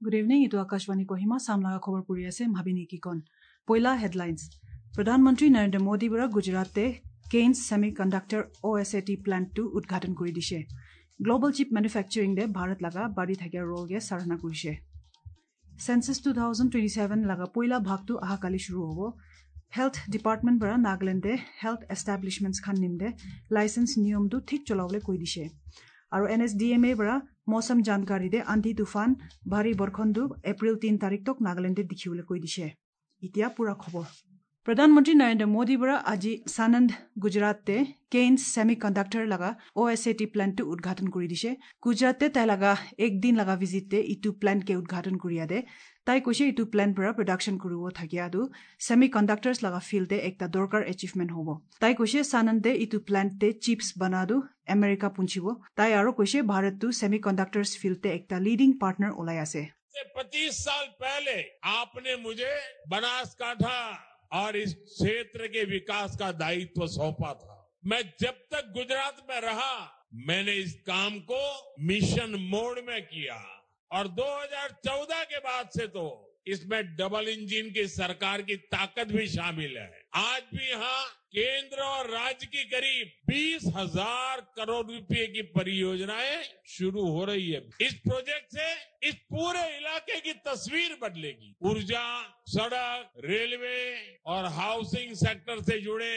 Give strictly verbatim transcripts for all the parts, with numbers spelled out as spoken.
Good evening এইটো আকাশবাণী কহিমা চাম লগা খবৰ পঢ়ি আছে ভাবিনী কিকন পইলা হেডলাইনছ প্ৰধানমন্ত্ৰী নৰেন্দ্ৰ মোদী পৰা গুজৰাটে কেইনছ ছেমি কণ্ডাক্টৰ অ' এছ এ টি প্লেণ্টটো উদ্ঘাটন কৰি দিছে গ্ল'বেল চিপ মেনুফেকচাৰিং দে ভাৰত লগা বাঢ়ি থকা ৰোলগে সৰাহনা কৰিছে census two thousand twenty seven লগা পইলা ভাগটো অহাকালি শুৰু হ'ব হেল্থ ডিপাৰ্টমেণ্ট পৰা নাগালেণ্ডে হেল্থ এষ্টাব্লিছমেণ্টছ খান নিমদে লাইচেন্স নিয়মটো ঠিক চলাবলৈ কৈ দিছে আৰু N S D M A পৰা মৌচম জানকাৰী দে আন্ধি তুফান ভাৰী বৰষুণটো এপ্ৰিল তিনি তাৰিখ তক নাগালেণ্ডে দেখিবলৈ কৈ দিছে এতিয়া পুৰা খবৰ প্ৰধানমন্ত্ৰী নৰেন্দ্ৰ মোদীৰ পৰা আজি সানন্দ গুজৰাটে কেইনছ ছেমি কণ্ডাক্টৰ লগা অ' এছ এ টি প্লেণ্টটো উদ্ঘাটন কৰি দিছে গুজৰাটে তাই লগা একদিন লগা ভিজিটে ইটো প্লেণ্টকে উদ্ঘাটন কৰিয়া দে তাই কৈছে ইটো প্লেণ্ট পৰা প্ৰডাকশ্যন কৰিব থাকিয়াটো ছেমি কণ্ডাক্টৰ্ছ লগা ফিল্ডে একটা দৰকাৰ এচিভমেণ্ট হ'ব তাই কৈছে সানন্দে ইটো প্লেণ্টে চিপছ বনাটো আমেৰিকা পুঞ্চিব তাই আৰু কৈছে ভাৰতটো ছেমি কণ্ডাক্টৰ্ছ ফিল্ডে একটা লিডিং পাৰ্টনাৰ ওলাই আছে पच्चीस साल पहले आपने मुझे बनासकांठा और इस क्षेत्र के विकास का दायित्व सौंपा था मैं जब तक गुजरात में रहा मैंने इस काम को मिशन मोड में किया और दो हज़ार चौदह के बाद से तो इसमें डबल इंजन की सरकार की ताकत भी शामिल है आज भी यहाँ केंद्र और राज्य की करीब बीस हजार करोड़ रुपए की परियोजनाएं शुरू हो रही है इस प्रोजेक्ट से इस पूरे इलाके की तस्वीर बदलेगी ऊर्जा सड़क रेलवे और हाउसिंग सेक्टर से जुड़े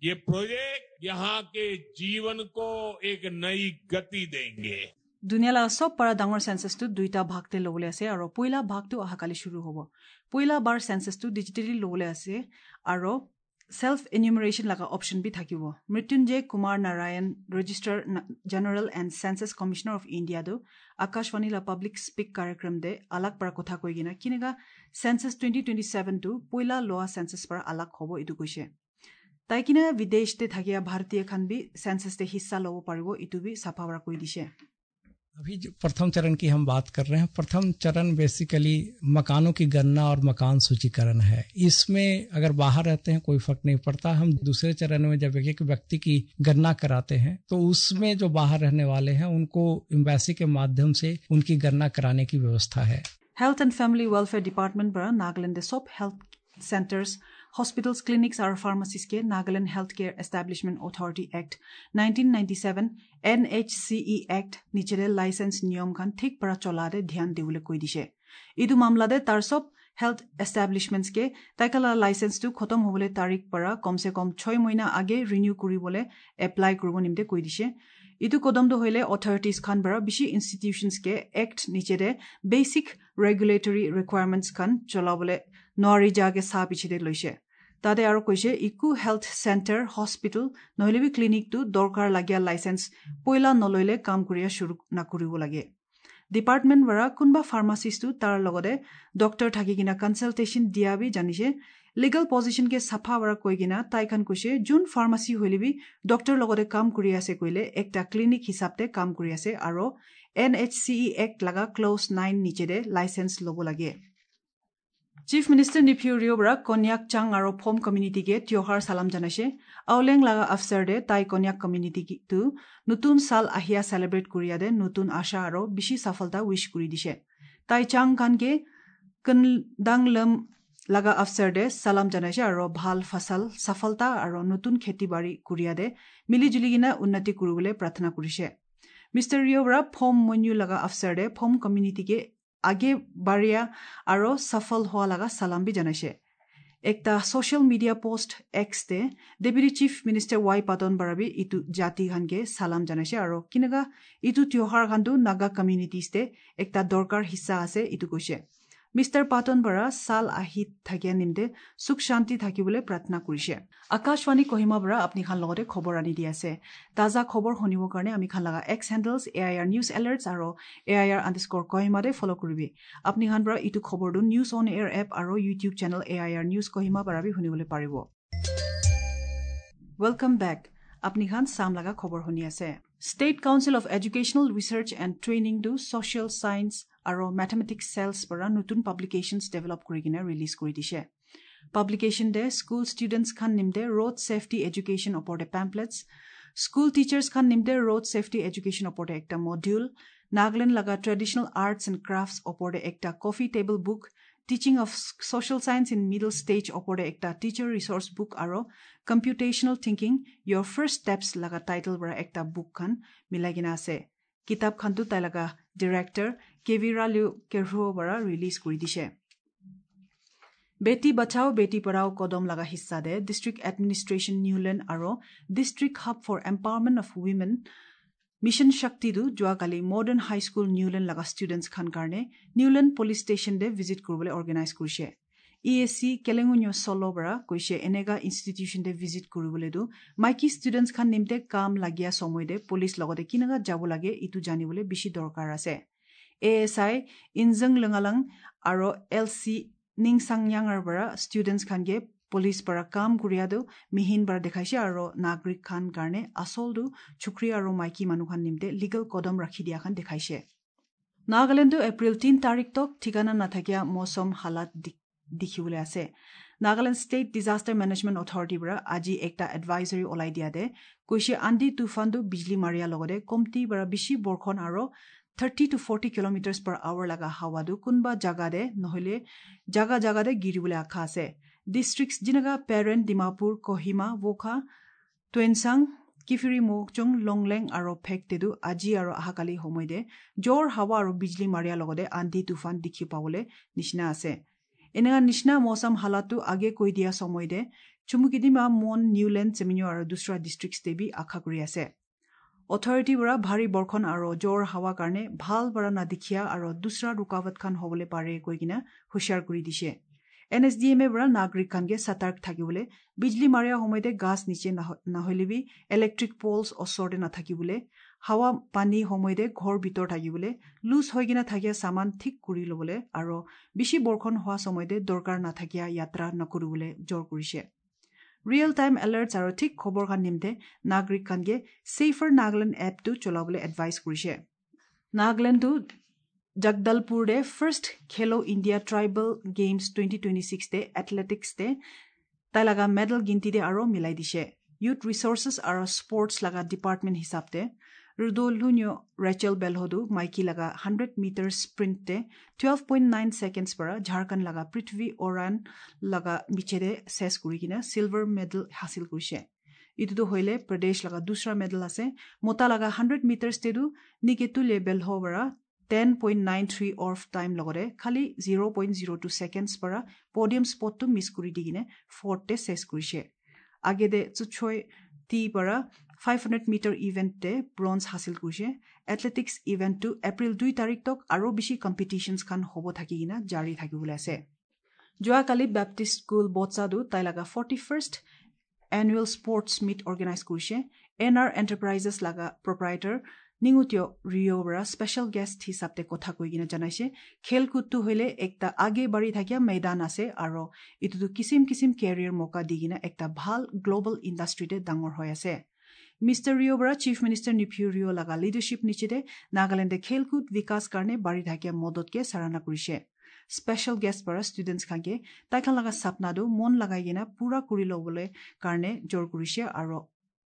ये प्रोजेक्ट यहाँ के जीवन को एक नई गति देंगे দুনিয়া লগা চব পৰা ডাঙৰ চেঞ্চাছটো দুইটা ভাগতে ল'বলৈ আছে আৰু পইলা ভাগটো অহাকালি শুৰু হ'ব পইলা বাৰ চেঞ্চাছটো ডিজিটেলি ল'বলৈ আছে আৰু চেল্ফ এনিউমাৰেশ্যন লগা অপশ্যন বি থাকিব Mrityunjay Kumar Narayan Registrar General and Census Commissioner of ইণ্ডিয়াটো Akashvani লা পাব্লিক স্পীক কাৰ্যক্ৰম দে আলাগ পৰা কথা কৈ কিনে কেনেকা চেঞ্চাছ টুৱেণ্টি টুৱেণ্টি ছেভেনটো পইলা লোৱা চেঞ্চাছ পৰা আলাগ হ'ব এইটো কৈছে তাই কিনে বিদেশতে থাকিয়া ভাৰতীয় খান বি চেঞ্চাছতে হিস্সা ল'ব পাৰিব এইটো বি চাফা পৰা কৈ দিছে अभी जो प्रथम चरण की हम बात कर रहे हैं प्रथम चरण बेसिकली मकानों की गणना और मकान सूचीकरण है इसमें अगर बाहर रहते हैं कोई फर्क नहीं पड़ता हम दूसरे चरण में जब एक एक व्यक्ति की गणना कराते हैं तो उसमें जो बाहर रहने वाले हैं उनको एम्बेसी के माध्यम से उनकी गणना कराने की व्यवस्था है health and family welfare department পৰা নাগালেণ্ডে চব হেল্থ চেণ্টাৰ্ছ হস্পিটেলছ ক্লিনিক্স আৰু ফাৰ্মাচিছকে Nagaland Health Care Establishment Authority Act nineteen ninety seven NHCE Act নিচেৰে licence নিয়ম খান ঠিক পৰা চলাতে ধ্যান দিবলৈ কৈ দিছে এইটো মামলাতে তাৰ চব হেল্থ এষ্টাব্লিছমেণ্টছকে তাইকালা লাইচেন্সটো খতম হ'বলৈ তাৰিখ পৰা কমচে কম ছয় মহিনা আগে ৰিনিউ কৰিবলৈ এপ্লাই কৰিব নিমতে কৈ দিছে এইটো কদমটো হ'লে অথৰিটিজ খান পৰা বেছি ইনষ্টিটিউশ্যনছকে এক্ট নিচেৰে বেচিক ৰেগুলেটৰী ৰিকুৱাৰমেণ্টছ খান চলাবলৈ নোৱাৰি যাকে চাহ পিছিতে লৈছে তাতে আৰু কৈছে ইকো হেল্থ চেণ্টাৰ হস্পিটেল নহ'লে বি ক্লিনিকটো দৰকাৰ লাগীয়া লাইচেন্স পইলা নল'লে কাম কৰিয়া শুৰু নকৰিব লাগে ডিপাৰ্টমেণ্ট পৰা কোনোবা ফাৰ্মাচিষ্টটো তাৰ লগতে ডক্টৰ থাকি কিনা কনচালটেশ্যন দিয়া বি জানিছে লিগেল পজিশ্যনকে চাফা পৰা কৈ কিনা তাইখান কৈছে যোন ফাৰ্মাচী হ'লে বি ডক্টৰ লগতে কাম কৰি আছে কৈলে একটা ক্লিনিক হিচাপতে কাম কৰি আছে আৰু এন এইচ চি ই এক্ট লগা ক্লজ নাইন নিচেৰে লাইচেন্স ল'ব লাগে চিফ মিনিষ্টাৰ নিফিউ ৰিঅ' পৰা কন্যাক চাং আৰু ফম কমিউনিটিকে তিয়হাৰ চালাম জনাইছে আওলেং লগা আফচাৰ দে তাই কন্যাক কমিউনিটিটো নতুন চাল আহিয়া চেলিব্ৰেট কৰিয়া দে নতুন আশা আৰু বেছি সফলতা উইচ কৰি দিছে তাই চাং খানকে কনদাংলম লগা আফচাৰ দে চালাম জনাইছে আৰু ভাল ফচল সফলতা আৰু নতুন খেতি বাৰী কৰিয়া দে মিলি জুলি কিনে উন্নতি কৰিবলৈ প্ৰাৰ্থনা কৰিছে মিষ্টাৰ ৰিঅ' পৰা ফম মন্যু লগা আফচাৰ দে ফম কমিউনিটিকে আগে বাঢ়িয়া আৰু সফল হোৱা লগা চালাম বি জনাইছে একটা ছ'চিয়েল মিডিয়া পোষ্ট এক্সতে deputy chief minister Y Patton বাৰাবি ইটো জাতি খানকে চালাম জনাইছে আৰু কেনেকা ইটো তিয়হাৰ খানটো নাগা কমিউনিটিজতে একটা দৰকাৰ হিস্সা আছে ইটো কৈছে মিষ্টাৰ পাটন বৰা চাল আহি থাকিয়া নিমতে সুখ শান্তি থাকিবলৈ প্ৰাৰ্থনা কৰিছে আকাশবাণী কহিমা বৰা আপুনি খান লগতে খবৰ আনি দি আছে তাজা খবৰ শুনিবৰ কাৰণে আমি খান লগা x handles A I R news alerts আৰু এ I R underscore কহিমাতে follow কৰিবি আপুনি খান পৰা ইটো খবৰটো নিউজ অন এয়াৰ এপ আৰু YouTube channel A I R news Kohima পৰা বি শুনিবলৈ পাৰিব welcome back আপুনি খান চাম লগা খবৰ শুনি আছে State Council of Educational Research and ট্ৰেইনিংটো social science আৰু মেথমেটিক্স চেলছ পৰা নতুন পাব্লিকেশ্যনছ ডেভেলপ কৰি কিনে ৰিলিজ কৰি দিছে পাব্লিকেশ্যন দে স্কুল ষ্টুডেণ্টছ খান নিমতে ৰোড ছেফটি এডুকেশ্যন ওপৰতে পেম্পলেটছ স্কুল টিচাৰ্ছ খান নিমতে ৰোড ছেফটি এডুকেশ্যন ওপৰতে একটা মডিউল নাগালেণ্ড লগা ট্ৰেডিশ্যনেল আৰ্টছ এণ্ড ক্ৰাফ্টছ ওপৰতে একটা coffee table book, teaching of social science in middle stage ওপৰতে একটা টিচাৰ ৰিচোৰ্চ বুক আৰু computational thinking your first steps লগা টাইটেল পৰা একটা বুক খান মিলাই কিনে আছে। কিতাপ খানটো তাই লগা ডিৰেক্টৰ কেভিৰালিউ কেৰহুৰ পৰা ৰিলিজ কৰি দিছে। বেটি বচাও বেটি পঢ়াও কদম লগা হিস্সা দে ডিষ্ট্ৰিক্ট এডমিনিষ্ট্ৰেশ্যন নিউলেণ্ড আৰু district hub for empowerment of women mission শক্তিটো যোৱাকালি মডাৰ্ণ হাইস্কুল নিউলেণ্ড লগা ষ্টুডেণ্টছ খান কাৰণে Nieuwland police station they visit কৰিবলৈ অৰ্গেনাইজ কৰিছে। ই এছ চি কেলেঙুনিয় চলৰ পৰা কৈছে এনেকা ইনষ্টিটিউশ্যন দে ভিজিট কৰিবলৈতো মাইকী ষ্টুডেণ্টছ খান নিমতে কাম লাগিয়া সময়তে পুলিচ লগতে কেনেকা যাব লাগে ইটো জানিবলৈ বেছি দৰকাৰ আছে। এ এছ I ইনজং লঙালাং আৰু এল চি নিংচাংয়াঙৰ পৰা ষ্টুডেণ্টছ খানকে পুলিচ পৰা কাম কৰিয়াটো মিহিন পৰা দেখাইছে আৰু নাগৰিক খান কাৰণে আচলটো চুকৰি আৰু মাইকী মানুহ খান নিমতে লিগেল কদম ৰাখি দিয়া খান দেখাইছে। নাগালেণ্ডো এপ্ৰিল তিন তাৰিখ তক ঠিকানা নাথাকিয়া মৌচম হালাত দেখিবলৈ আছে। নাগালেণ্ড ষ্টেট ডিজাষ্টাৰ মেনেজমেণ্ট অথৰিটিৰ পৰা আজি একটা এডভাইজৰী ওলাই দিয়া দে কৈছে আন্দি তুফানটো বিজলী মাৰিয়াৰ লগতে কমটি পৰা বেছি বৰষুণ আৰু thirty to forty kilometres per hour লগা হাৱাটো কোনোবা জাগাতে নহ'লে জাগা জাগাতে গিৰিবলৈ আশা আছে। ডিষ্ট্ৰিক্টছ যেনেকা পেৰেন, ডিমাপুৰ, কহিমা, ৱোখা, টুৱেনচাং, কিফিৰি, মকচুং, লংলেং আৰু ফেকটেদু আজি আৰু অহাকালি সময়তে জ্বৰ হাৱা আৰু বিজলী মাৰিয়াৰ লগতে আন্ধি তুফান দেখি পাবলৈ নিচিনা আছে। এনেকা নিচিনা মৌচম হালাতটো আগে কৈ দিয়া সময়তে চুমুকিদিমা, মন, নিউলেণ্ড, চেমিনিউ আৰু দুসৰা ডিষ্ট্ৰিক্টছ বি আশা কৰি আছে। অথৰিটিৰ পৰা ভাৰী বৰষুণ আৰু জ্বৰ হাৱা কাৰণে ভাল পৰা নাদেখিয়া আৰু দুসৰা ৰুকাৱট খান হ'বলৈ পাৰে কৈ কিনে হুঁচিয়াৰ কৰি দিছে। N S D M A পৰা নাগৰিক খানকে সতৰ্ক থাকিবলৈ, বিজলী মাৰিয়া সময়তে গাছ নিচে নহ'লেবি ইলেক্ট্ৰিক পলছ ওচৰতে নাথাকিবলৈ, হাৱা পানী সময়তে ঘৰ ভিতৰ থাকিবলৈ, লুজ হৈ কিনে থাকিয়া চামান ঠিক কৰি ল'বলৈ আৰু বেছি বৰষুণ হোৱা সময়তে দৰকাৰ নাথাকিয়া যাত্ৰা নকৰিবলৈ জোৰ কৰিছে। ৰিয়েল টাইম এলাৰ্টছ আৰু ঠিক খবৰ খান নিমতে নাগৰিক খানকে ছেফাৰ নাগালেণ্ড এপটো চলাবলৈ এডভাইচ কৰিছে। নাগালেণ্ডটো জগদলপুৰতে first Khelo India tribal games twenty twenty six দে এথলেটিক্স দে তাই লগা মেডেল গিনতিতে আৰু মিলাই দিছে। ইউথ ৰিচৰ্চেছ আৰু স্পৰ্টছ লগা ডিপাৰ্টমেণ্ট হিচাপতে ৰুদলহুনিয় ৰেচেল বেলহদু মাইকী লগা হাণ্ড্ৰেড মিটাৰ স্প্ৰিণ্টতে টুৱেল্ভ পইণ্ট নাইন ছেকেণ্ডছ পৰা ঝাৰখণ্ড লগা পৃথ্বী ওৰাণ লগা মিছেৰে চেছ কৰি কিনে চিলভাৰ মেডেল হাচিল কৰিছে। ইটোতো হ'লে প্ৰদেশ লগা দুসৰা মেডেল আছে। মতা লগা হাণ্ড্ৰেড মিটাৰ্ছতেতো নিকেতুলে বেলহ পৰা ten point nine three off time লগতে খালি zero point zero two seconds পৰা পডিয়াম স্পটটো মিছ কৰি দি কিনে ফ'ৰ্থতে চেছ কৰিছে। আগেদে চুচয় টি পৰা ফাইভ হাণ্ড্ৰেড মিটাৰ ইভেণ্টতে ব্ৰঞ্জ হাচিল কৰিছে। এথলেটিক্স ইভেণ্টটো এপ্ৰিল দুই তাৰিখ তক আৰু বেছি কম্পিটিশ্যনছ খান হ'ব থাকি কিনে জাৰি থাকিবলৈ আছে। যোৱাকালি বেপ্টিষ্ট স্কুল বটছাদু তাই লগা forty first annual sports meet organise কৰিছে। এন আৰ এণ্টাৰপ্ৰাইজেছ লগা প্ৰপ্ৰাইটাৰ নিঙুতীয় ৰিঅ' পৰা স্পেচিয়েল গেষ্ট হিচাপে কথা কৈ কিনে জনাইছে খেলকুদটো হ'লে একটা আগে বাঢ়ি থাকিয়া মৈদান আছে আৰু এইটোতো কিচিম কিচিম কেৰিয়াৰ মৌকা দি কিনে একটা ভাল গ্ল'বেল ইণ্ডাষ্ট্ৰিতে ডাঙৰ হৈ আছে। মিষ্টাৰ ৰিঅ' পৰা চিফ মিনিষ্টাৰ নিফিউ ৰিঅ' লগা লিডাৰশ্বিপ নিচিতে নাগালেণ্ডে খেলকুদ বিকাশ কাৰণে বাঢ়ি থাকিয়া মদতকে চাৰানা কৰিছে। স্পেচিয়েল গেষ্ট পৰা ষ্টুডেণ্টছ খানকে তাইখান লগা চাপনাটো মন লগাই কিনে পূৰা কৰি ল'বলৈ কাৰণে জোৰ কৰিছে আৰু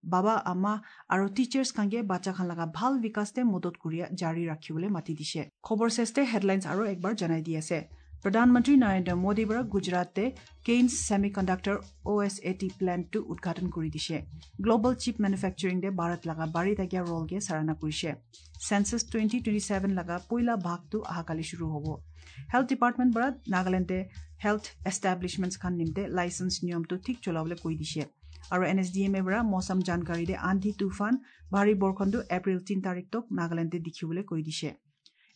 বাবা আমা আৰু টিচাৰ্ছ খানকে বাচ্চা খান লগা ভাল বিকাশতে মদত কৰিয়া জাৰি ৰাখিবলৈ মাতি দিছে। খবৰ চেষ্টে হেডলাইনছ আৰু একবাৰ জনাই দি আছে। প্ৰধানমন্ত্ৰী নৰেন্দ্ৰ মোদীৰ পৰা গুজৰাটে Kaynes semiconductor O S A T প্লেণ্টটো উদ্ঘাটন কৰি দিছে। গ্ল'বেল চিপ মেনুফেকচাৰিং দে ভাৰত লগা বাঢ়ি থাকিয়া ৰলকে চাৰানা কৰিছে। চেঞ্চাছ টুৱেণ্টি টুৱেণ্টি ছেভেন লগা পইলা ভাগটো অহাকালি শুৰু হ'ব। হেল্থ ডিপাৰ্টমেণ্ট পৰা নাগালেণ্ডে হেল্থ এষ্টাব্লিছমেণ্টছ খান নিমতে লাইচেঞ্চ নিয়মটো ঠিক চলাবলৈ কৈ দিছে। আৰু N S D M A পৰা মৌচম জানকাৰী দে আন্ধি তুফান ভাৰী বৰষুণটো এপ্ৰিল তিনি তাৰিখ তক নাগালেণ্ডে দেখিবলৈ কৈ দিছে।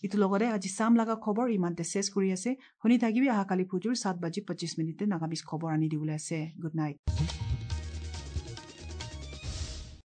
ইটো লগতে আজি চাম লগা খবৰ ইমানতে চেছ কৰি আছে। শুনি থাকিবি অহাকালি ফুজুৰ সাত বাজি পঁচিছ মিনিটে নাগামিজ খবৰ আনি দিবলৈ আছে। Good night.